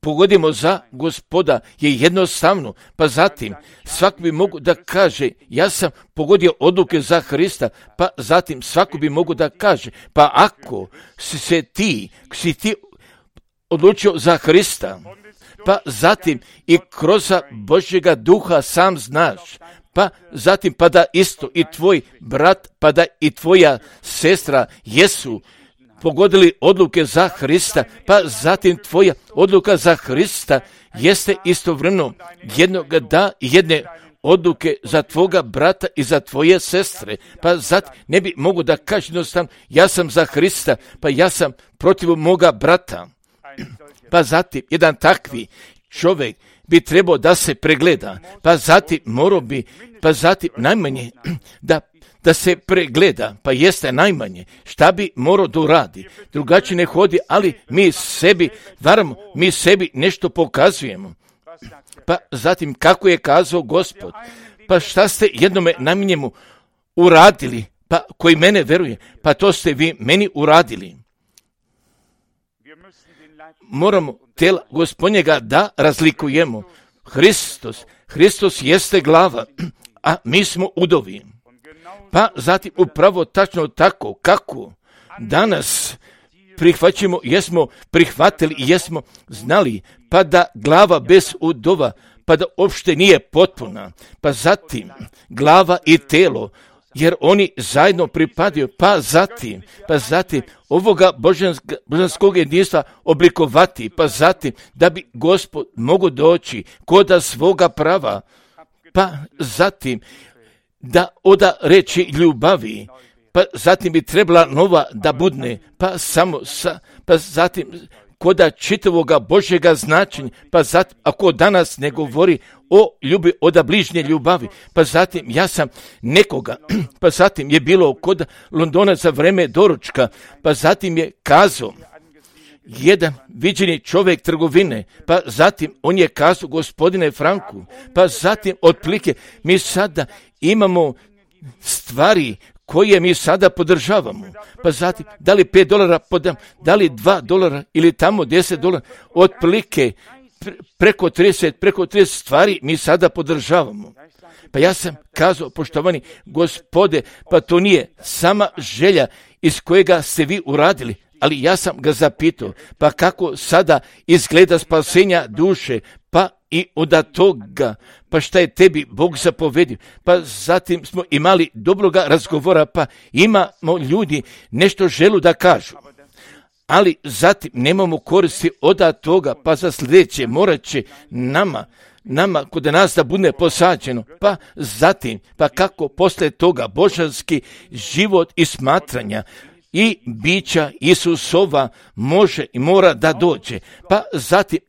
pogodimo za Gospoda je jednostavno. Pa zatim svako bi mogu da kaže, ja sam pogodio odluke za Hrista, pa zatim svako bi mogu da kaže, pa ako si ti odlučio za Hrista, pa zatim i kroz Božjega duha sam znaš, pa zatim pa da isto i tvoj brat, pa da i tvoja sestra jesu pogodili odluke za Hrista, pa zatim tvoja odluka za Hrista jeste istovremeno jedne odluke za tvoga brata i za tvoje sestre. Pa zatim ne bi mogu da kažem jednostavno, ja sam za Hrista, pa ja sam protiv moga brata. Pa zatim jedan takvi čovjek bi trebao da se pregleda, pa zatim najmanje da se pregleda, pa jeste najmanje, šta bi morao da uradi. Drugačije ne hodi, ali mi sebi varamo, mi sebi nešto pokazujemo. Pa zatim kako je kazao Gospod, pa šta ste jednome najmanjemu uradili, pa koji mene veruje, pa to ste vi meni uradili. Moramo tela Gospodnjega da razlikujemo. Hristos jeste glava, a mi smo udovi. Pa zatim upravo tačno tako kako danas jesmo prihvatili i jesmo znali, pa da glava bez udova, pa da uopšte nije potpuna, pa zatim glava i telo, jer oni zajedno pripadaju, pa zatim ovoga božanskog jedinstva oblikovati, pa zatim da bi Gospod mogo doći koda svoga prava, pa zatim da oda reči ljubavi, pa zatim bi trebala nova da budne, pa zatim koda čitavoga Božjega značenja, pa zatim ako danas ne govori o ljubi, oda bližnje ljubavi, pa zatim ja sam nekoga, pa zatim je bilo kod Londona za vreme doručka, pa zatim je kazao jedan viđeni čovjek trgovine, pa zatim on je kazao gospodine Franku, pa zatim otprilike mi sada imamo stvari koje mi sada podržavamo, pa zatim da li $5 podam, da li $2 ili tamo $10, otprilike preko 30 stvari mi sada podržavamo. Pa ja sam kazao, poštovani Gospode, pa to nije sama želja iz kojega ste vi uradili, ali ja sam ga zapitao, pa kako sada izgleda spasenja duše, pa i od toga, pa šta je tebi Bog zapovedio, pa zatim smo imali dobroga razgovora, pa imamo ljudi nešto želu da kažu, ali zatim nemamo koristi od toga, pa za sljedeće morat će nama kod nas da bude posađeno, pa zatim, pa kako posle toga božanski život i smatranja i bića Isusova može i mora da dođe. Pa zatim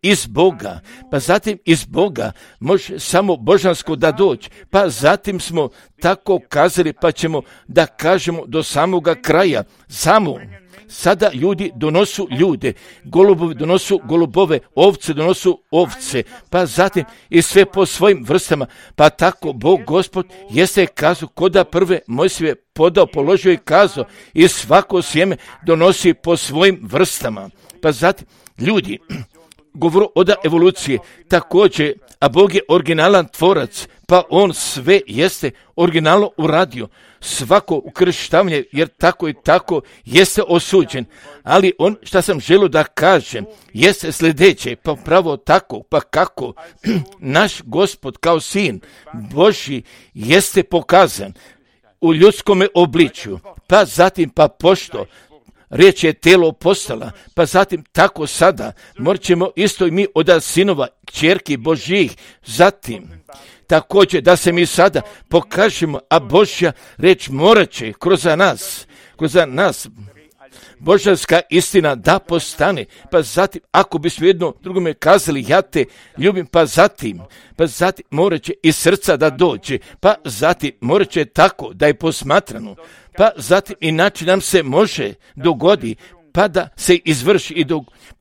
iz Boga može samo božansko da dođe. Pa zatim smo tako kazali, pa ćemo da kažemo do samoga kraja. Samo sada ljudi donosu ljude, golubovi donosu golubove, ovce donosu ovce, pa zatim i sve po svojim vrstama. Pa tako Bog Gospod jeste kazao, koda prve Mojsije podao, položio i kazao, i svako sjeme donosi po svojim vrstama. Pa zatim ljudi govoru od evolucije također, a Bog je originalan tvorac, pa on sve jeste originalno uradio. Svako ukrštavanje, jer tako i tako jeste osuđen. Ali on, šta sam želio da kažem, jeste sljedeće, pa pravo tako, pa kako naš Gospod kao sin Božji jeste pokazan u ljudskome obličju, pa zatim pa pošto riječ je telo postala, pa zatim tako sada morat ćemo isto i mi od sinova, kćerki Božjih, zatim također da se mi sada pokažemo, a Božja riječ morat će kroz nas božanska istina da postane, pa zatim ako bismo jedno drugome kazali ja te ljubim, pa zatim morat će iz srca da dođe, pa zatim morat će tako da je posmatrano, pa zatim inače nam se može dogodi, pa da se izvrši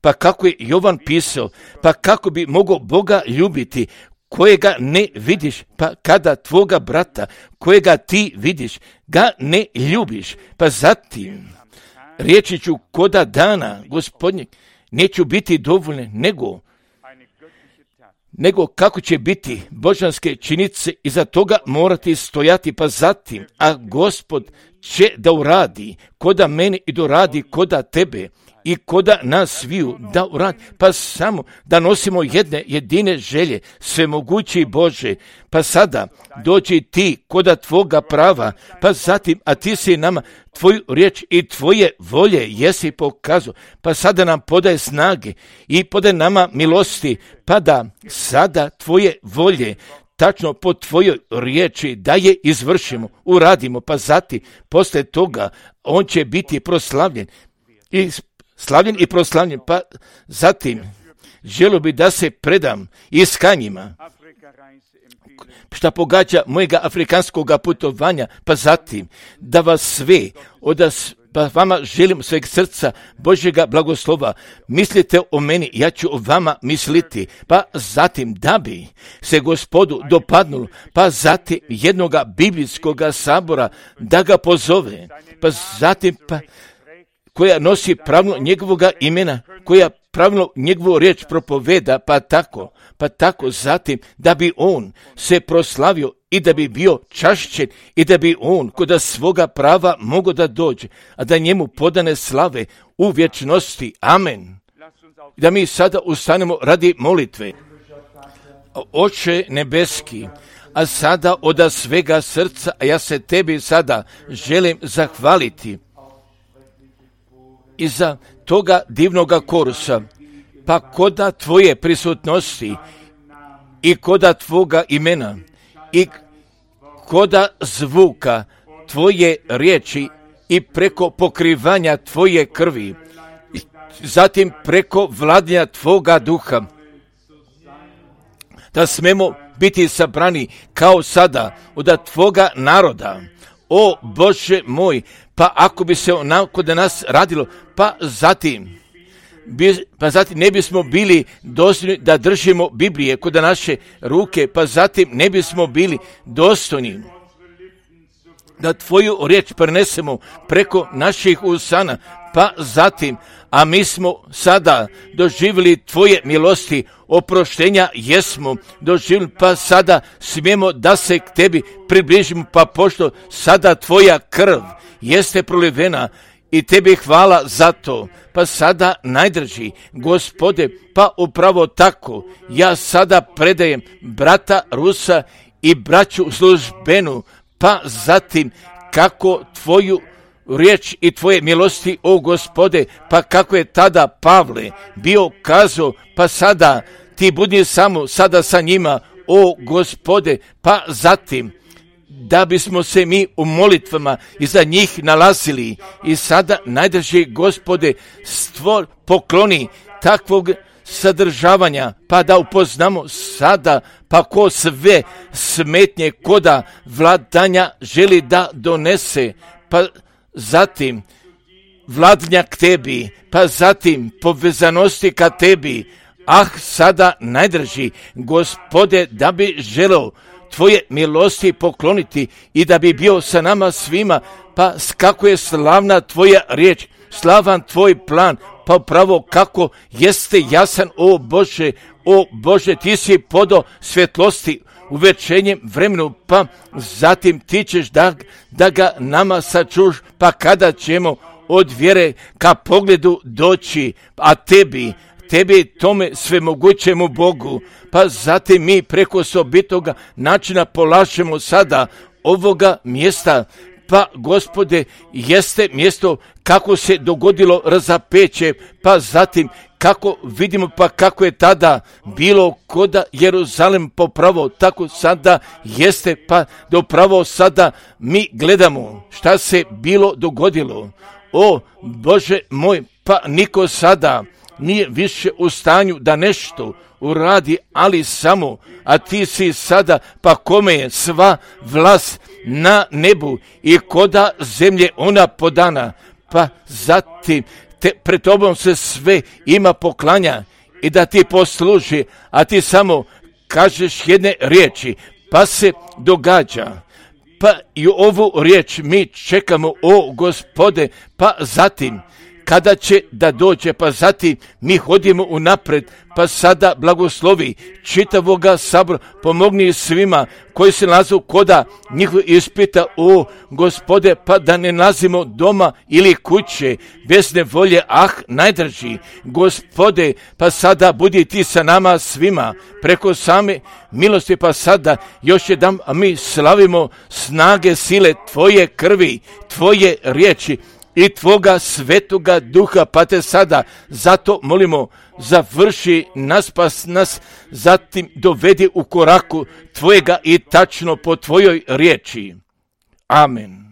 pa kako je Jovan pisao, pa kako bi mogao Boga ljubiti kojega ne vidiš, pa kada tvoga brata kojega ti vidiš ga ne ljubiš, pa zatim riječi ću koda dana Gospodnjeg neću biti dovoljne, nego kako će biti božanske činice i za toga morati stojati, pa zatim, a Gospod će da uradi koda mene i doradi koda tebe i koda nas sviju da uradi, pa samo da nosimo jedine želje, svemogući Bože, pa sada dođi ti koda tvoga prava, pa zatim, a ti si nama tvoju riječ i tvoje volje jesi pokazao, pa sada nam podaje snage i podaje nama milosti, pa da sada tvoje volje tačno po tvojoj riječi da je izvršimo, uradimo, pa zatim posle toga on će biti proslavljen i proslavljen, pa zatim želio bi da se predam iskanjima šta pogađa mojega afrikanskog putovanja, pa zatim da vas sve pa vama želim sveg srca Božjega blagoslova. Mislite o meni, ja ću o vama misliti. Pa zatim da bi se Gospodu dopadnulo, pa zatim jednoga biblijskoga sabora da ga pozove, pa zatim koja nosi pravilno njegovoga imena, koja pravilno njegovu riječ propoveda, pa tako zatim da bi on se proslavio i da bi bio čašćen i da bi on kod svoga prava mogao da dođe, a da njemu podane slave u vječnosti. Amen. Da mi sada ustanemo radi molitve. Oče nebeski, a sada od svega srca, a ja se tebi sada želim zahvaliti i za toga divnoga korusa, pa koda tvoje prisutnosti i koda tvoga imena i koda zvuka tvoje riječi i preko pokrivanja tvoje krvi, zatim preko vladanja tvoga duha, da smemo biti sabrani kao sada od tvoga naroda. O Bože moj, pa ako bi se onako da nas radilo, pa zatim ne bismo bili dostojni da držimo Biblije kod naše ruke, pa zatim ne bismo bili dostojni da tvoju riječ prenesemo preko naših usana, pa zatim, a mi smo sada doživjeli tvoje milosti, oproštenja jesmo doživjeli, pa sada smijemo da se k tebi približimo, pa pošto sada tvoja krv jeste prolivena i tebi hvala za to, pa sada najdraži Gospode, pa upravo tako ja sada predajem brata Rusa i braću službenu, pa zatim kako tvoju riječ i tvoje milosti, o Gospode, pa kako je tada Pavle bio kazao, pa sada ti budi samo sada sa njima, o Gospode, pa zatim da bismo se mi u molitvama iza njih nalazili. I sada, najdraži Gospode, pokloni takvog sadržavanja, pa da upoznamo sada, pa ko sve smetnje koda vladanja želi da donese, pa zatim vladanja k tebi, pa zatim povezanosti ka tebi. Sada, najdraži Gospode, da bi želeo Tvoje milosti pokloniti i da bi bio sa nama svima, pa kako je slavna Tvoja riječ, slavan Tvoj plan, pa upravo kako jeste jasan, o Bože, Ti si podao svjetlosti u večernjem vremenu, pa zatim Ti ćeš da ga nama sačuš, pa kada ćemo od vjere ka pogledu doći, a Tebi tome svemogućemu Bogu, pa zatim mi preko osobitoga načina polažemo sada ovoga mjesta, pa Gospode, jeste mjesto kako se dogodilo razapeće, pa zatim kako vidimo, pa kako je tada bilo koda Jeruzalem popravo, tako sada jeste, pa da upravo sada mi gledamo šta se bilo dogodilo. O Bože moj, pa niko sada nije više u stanju da nešto uradi, ali samo, a Ti si sada, pa kome je sva vlast na nebu i koda zemlje ona podana, pa zatim pred Tobom se sve ima poklanja i da Ti posluži, a Ti samo kažeš jedne riječi, pa se događa. Pa i ovu riječ mi čekamo, o Gospode, pa zatim kada će da dođe, pa zatim mi hodimo unapred, pa sada blagoslovi čitavoga sabora, pomogni svima koji se nalaze koda njihov ispita, o Gospode, pa da ne nalazimo doma ili kuće bez nevolje, najdraži Gospode, pa sada budi Ti sa nama svima preko same milosti, pa sada još jedan mi slavimo snage sile Tvoje krvi, Tvoje riječi i Tvoga svetoga duha, pa Te sada zato molimo, završi nas, pa nas zatim dovedi u koraku Tvojega i tačno po Tvojoj riječi. Amen.